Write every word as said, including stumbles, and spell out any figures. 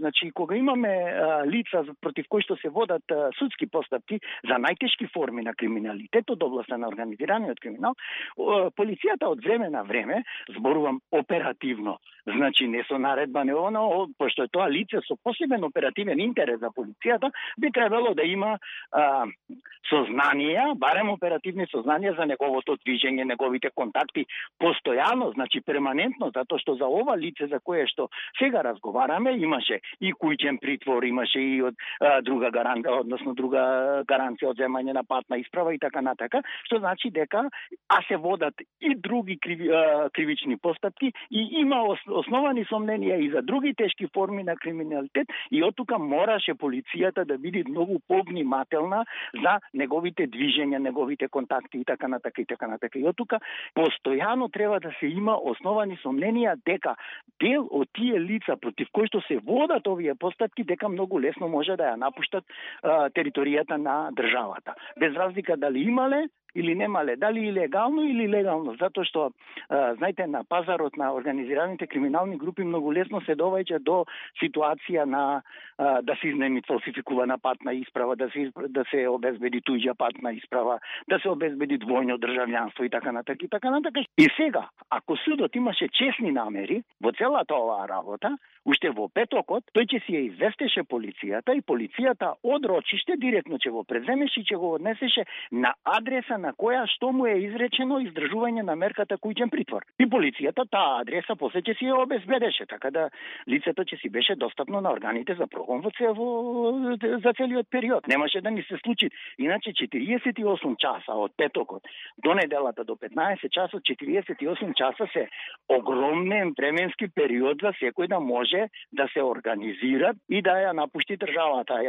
Значи, кога имаме а, лица против кои што се водат а, судски постапки за најтешки форми на криминалитет од областа на организираниот криминал, а, полицијата од време на време, зборувам оперативно, значи не со наредба, не оно, пошто е тоа лице со посебен оперативен интерес за полицијата, би требало да има а, сознанија, барем оперативни сознанија за неговото движење, неговите контакти постојано, значи перманентно, затоа што за ова лице за кое што сега разговараме имаше и куќен притвор, имаше и од а, друга гаранција, односно друга гаранција од земање на патна исправа и така натака, што значи дека а се водат и други криви, а, кривични постапки и има ос, основани сомненија и за други тешки форми на криминалитет и оттука мораше полицијата да биде многу повнимателна за неговите движења, неговите контакти и така натака и така натака. И оттука постојано треба да се има основани сомненија дека дел од тие лица против кои што се водат овие постапки дека многу лесно може да ја напуштат а, територијата на државата. Без разлика дали имале или немале, дали илегално или легално, затоа што, а, знаете, на пазарот на организираните криминални групи многу лесно се доваѓа до ситуација на а, да се изнеми фалсификувана патна исправа, да се да се обезбеди туѓа патна исправа, да се обезбеди двојно државјанство и така натака и така натака. И сега, ако судот имаше честни намери во целата оваа работа, уште во петокот, тој ќе си ја известеше полицијата и полицијата од рочиште директно ќе го преземеше и ќе го однесеше на адреса на која што му е изречено издржување на мерката куќен притвор. И полицијата таа адреса после ќе си ја обезбедеше, така да лицето ќе си беше достапно на органите за прогон во цело, за целиот период. Немаше да ни се случи. Иначе четириесет и осум часа од петокот до неделата до петнаесет часот, четириесет и осум часа се огромен временски период за секој да може да се организира и да ја напушти државата.